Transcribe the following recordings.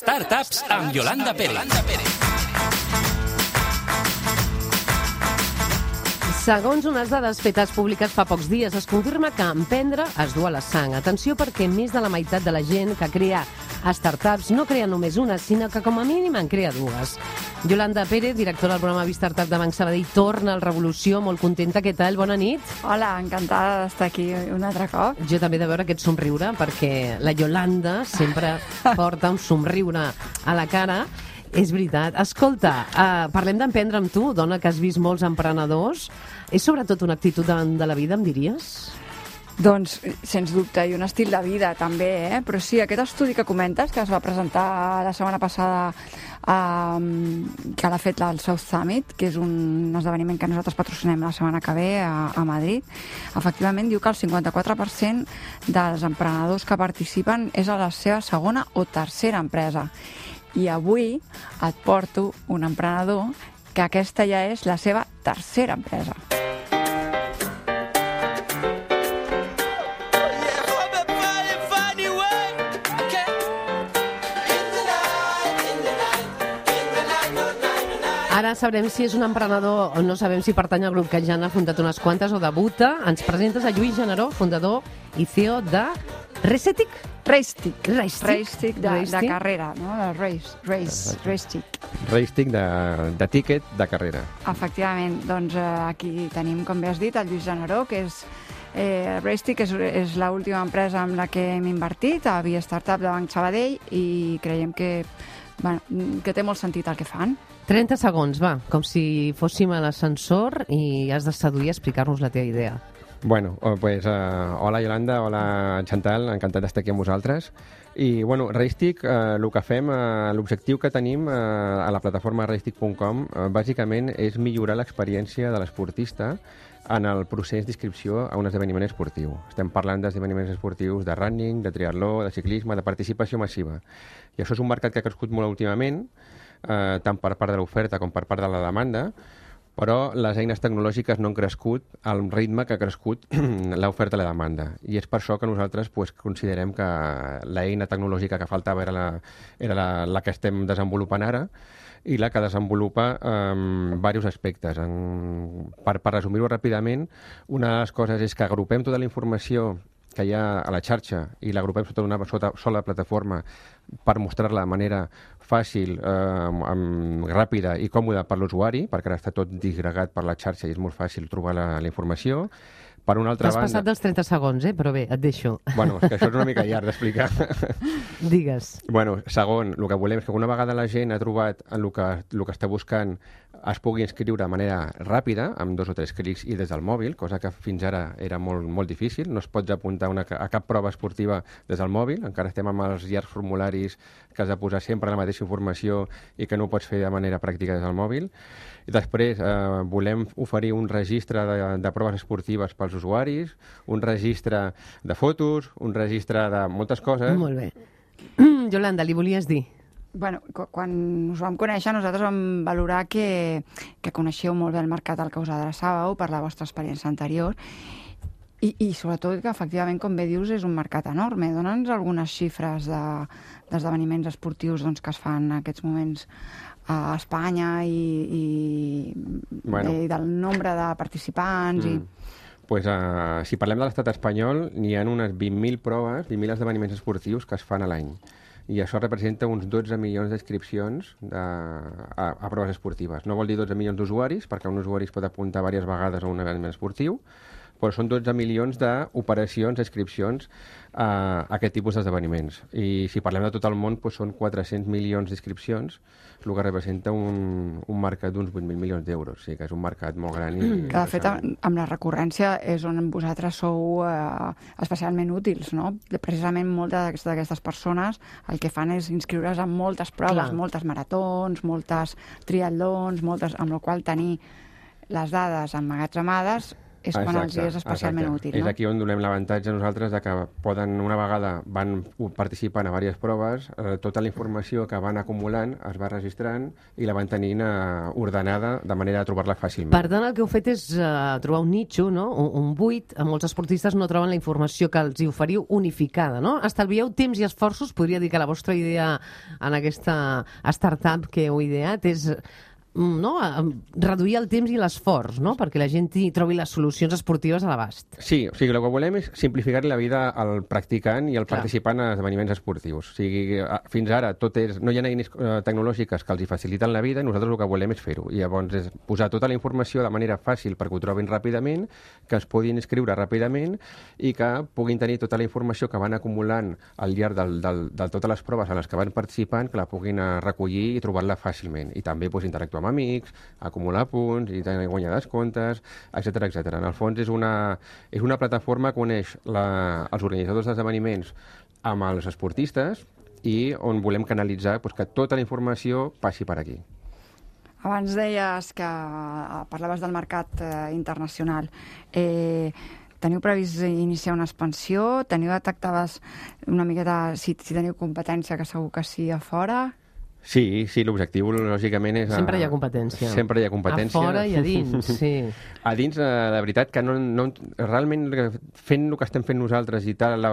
Startups amb Yolanda Pérez. Segons unes dades fetes públiques fa pocs dies, es confirma que emprendre es du a la sang. Atenció, perquè més de la meitat de la gent que crea startups no crea només una, sinó que com a mínim en crea dues. Yolanda Pérez, directora del programa Startup de Banc Sabadell, torna al Revolució, molt contenta. Què tal? Bona nit. Hola, encantada d'estar aquí un altre cop. Jo també de veure aquest somriure, perquè la Yolanda sempre porta un somriure a la cara. És veritat. Escolta, parlem d'emprendre amb tu, dona que has vist molts emprenedors. És sobretot una actitud davant de la vida, em diries? Doncs, sens dubte, i un estil de vida també, Però sí, aquest estudi que comentes, que es va presentar la setmana passada, que l'ha fet el South Summit, que és un esdeveniment que nosaltres patrocinem la setmana que ve a Madrid, efectivament diu que el 54% dels emprenedors que participen és a la seva segona o tercera empresa. I avui et porto un emprenedor que aquesta ja és la seva tercera empresa. Ara sabrem si és un emprenedor o no sabem si pertany al grup que ja n'ha fundat unes quantes o debuta. Ens presentes a Lluís Generó, fundador i CEO de Racetic? Racetic de carrera, no? Racetic. Racetic de tíquet de carrera. Efectivament, doncs aquí tenim, com bé has dit, el Lluís Generó, que és Racetic és l'última empresa amb la que hem invertit a Via Startup de Banc Sabadell i creiem que té molt sentit el que fan. 30 segons, va, com si fóssim a l'ascensor i has de seduir a explicar-nos la teva idea. Bueno, pues hola Yolanda, hola Chantal, encantat d'estar aquí amb vosaltres. I, bueno, Racetic, el que fem, l'objectiu que tenim a la plataforma racetic.com, bàsicament és millorar l'experiència de l'esportista en el procés d'inscripció a un esdeveniment esportiu. Estem parlant d'esdeveniments esportius de running, de triatló, de ciclisme, de participació massiva. I això és un mercat que ha crescut molt últimament, tant per part de l'oferta com per part de la demanda, però les eines tecnològiques no han crescut al ritme que ha crescut l'oferta i la demanda. I és per això que nosaltres considerem que l'eina tecnològica que faltava era la que estem desenvolupant ara i la que desenvolupa diversos aspectes. Per resumir-ho ràpidament, una de les coses és que agrupem tota la informació que hi ha a la xarxa i l'agrupem sota una sola plataforma per mostrar-la de manera fàcil, ràpida i còmoda per l'usuari, perquè ara està tot disgregat per la xarxa i és molt fàcil trobar la informació. Per una altra banda... T'has passat dels 30 segons, però bé, et deixo. Bueno, és que això és una mica llarg d'explicar. Digues. Bueno, segon, el que volem és que una vegada la gent ha trobat el que està buscant es pugui inscriure de manera ràpida, amb 2 o 3 clics i des del mòbil, cosa que fins ara era molt, molt difícil. No es pots apuntar a cap prova esportiva des del mòbil. Encara estem amb els llargs formularis que has de posar sempre la mateixa informació i que no ho pots fer de manera pràctica des del mòbil. I després volem oferir un registre de proves esportives pels usuaris, un registre de fotos, un registre de moltes coses. Molt bé. Yolanda, li volies dir? Bueno, quan us vam conèixer, nosaltres vam valorar que coneixeu molt bé el mercat al que us adreçàveu per la vostra experiència anterior i sobretot que, efectivament, com bé dius, és un mercat enorme. Dóna'ns algunes xifres d'esdeveniments esportius que es fan en aquests moments a Espanya i del nombre de participants Pues, si parlem de l'estat espanyol, n'hi ha unes 20.000 proves, 20.000 esdeveniments esportius que es fan a l'any. I això representa uns 12 milions d'inscripcions a proves esportives. No vol dir 12 milions d'usuaris, perquè un usuari es pot apuntar diverses vegades a un esdeveniment esportiu, però són 12 milions d'operacions, d'inscripcions a aquest tipus d'esdeveniments. I si parlem de tot el món, doncs són 400 milions d'inscripcions, el que representa un mercat d'uns 8.000 milions d'euros. O sigui que és un mercat molt gran. Que, de fet, amb la recurrència és on vosaltres sou especialment útils, no? Precisament moltes d'aquestes persones el que fan és inscriure's en moltes proves, moltes maratons, moltes triatlons, amb la qual tenir les dades emmagatzemades és quan els és especialment útil, no? És aquí on donem l'avantatge a nosaltres de que poden, una vegada van participant a diverses proves, tota la informació que van acumulant es va registrant i la van tenint ordenada de manera de trobar-la fàcilment. Per tant, el que heu fet és trobar un nitxo, no? Un buit. Molts esportistes no troben la informació que els hi oferiu unificada, no? Estalvieu temps i esforços. Podria dir que la vostra idea en aquesta startup que heu ideat és reduir el temps i l'esforç, no? Perquè la gent hi trobi les solucions esportives a l'abast. Sí, o sigui, el que volem és simplificar la vida al practicant i al participant en esdeveniments esportius. O sigui, fins ara no hi ha eines tecnològiques que els hi faciliten la vida i nosaltres el que volem és fer-ho. I llavors és posar tota la informació de manera fàcil perquè ho trobin ràpidament, que es puguin inscriure ràpidament i que puguin tenir tota la informació que van acumulant al llarg de totes les proves en les que van participant, que la puguin recollir i trobar-la fàcilment. I també interactuar amb amics, acumular punts i guanyar descomptes, etc etc. En el fons és una plataforma que uneix els organitzadors d'esdeveniments amb els esportistes i on volem canalitzar que tota la informació passi per aquí. Abans deies que parlaves del mercat internacional. Teniu previst iniciar una expansió? Detectaves una miqueta si teniu competència, que segur que sí, a fora? Sí, l'objectiu, lògicament, és... Sempre hi ha competència. Sempre hi ha competència. A fora i a dins, sí. A dins, la veritat, que realment fent el que estem fent nosaltres i tal,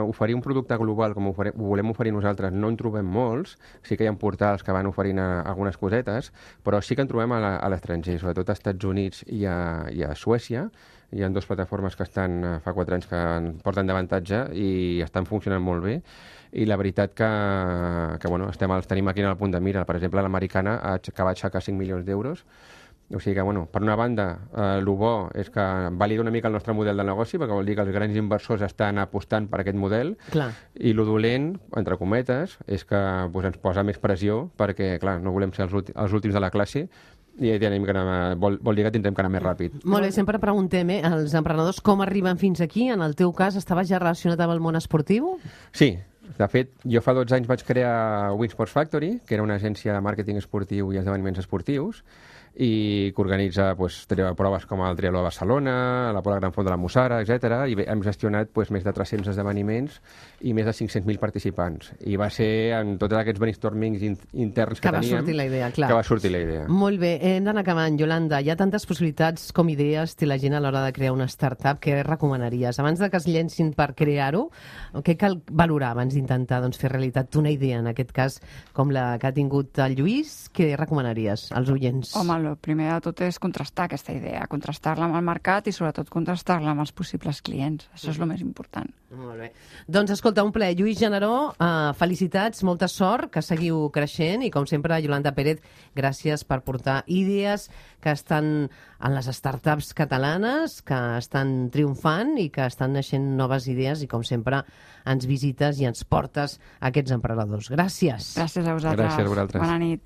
oferir un producte global com ho volem oferir nosaltres, no en trobem molts. Sí que hi ha portals que van oferint algunes cosetes, però sí que en trobem a l'estranger, sobretot als Estats Units i a Suècia. Hi ha dues plataformes que estan fa 4 anys que porten d'avantatge i estan funcionant molt bé. I la veritat que els tenim aquí en el punt de mira. Per exemple, l'americana que va aixecar 5 milions d'euros. O sigui que, per una banda, el bo és que valida una mica el nostre model de negoci, perquè vol dir que els grans inversors estan apostant per aquest model. Clar. I lo dolent, entre cometes, és que ens posa més pressió, perquè, clar, no volem ser els últims de la classe, i vol dir que tindrem que anar més ràpid. Molt bé, sempre preguntem, els emprenedors com arriben fins aquí? En el teu cas, estaves ja relacionat amb el món esportiu? Sí. De fet, jo fa 12 anys vaig crear Winsports Factory, que era una agència de màrqueting esportiu i esdeveniments esportius, i que organitza proves com el Triatló de Barcelona, la Pola Gran Font de la Mussara, etc. I hem gestionat més de 300 esdeveniments i més de 500.000 participants. I va ser en tots aquests brainstormings interns que teníem... Que va sortir la idea, clar. Que va sortir la idea. Molt bé, hem d'anar acabant. Yolanda, hi ha tantes possibilitats com idees té la gent a l'hora de crear una startup. Què recomanaries? Abans de que es llencin per crear-ho, què cal valorar abans d'intentar fer realitat una idea, en aquest cas, com la que ha tingut el Lluís? Què recomanaries als oients? Home, el primer de tot és contrastar aquesta idea, contrastar-la amb el mercat i sobretot contrastar-la amb els possibles clients. Això és el més important. Molt bé. Doncs escolta, un plaer. Lluís Generó, felicitats, molta sort, que seguiu creixent i com sempre, Yolanda Pérez, gràcies per portar idees que estan en les startups catalanes, que estan triomfant i que estan naixent noves idees i com sempre ens visites i ens portes a aquests emprenedors. Gràcies. Gràcies a vosaltres. Gràcies a vosaltres. Bona nit.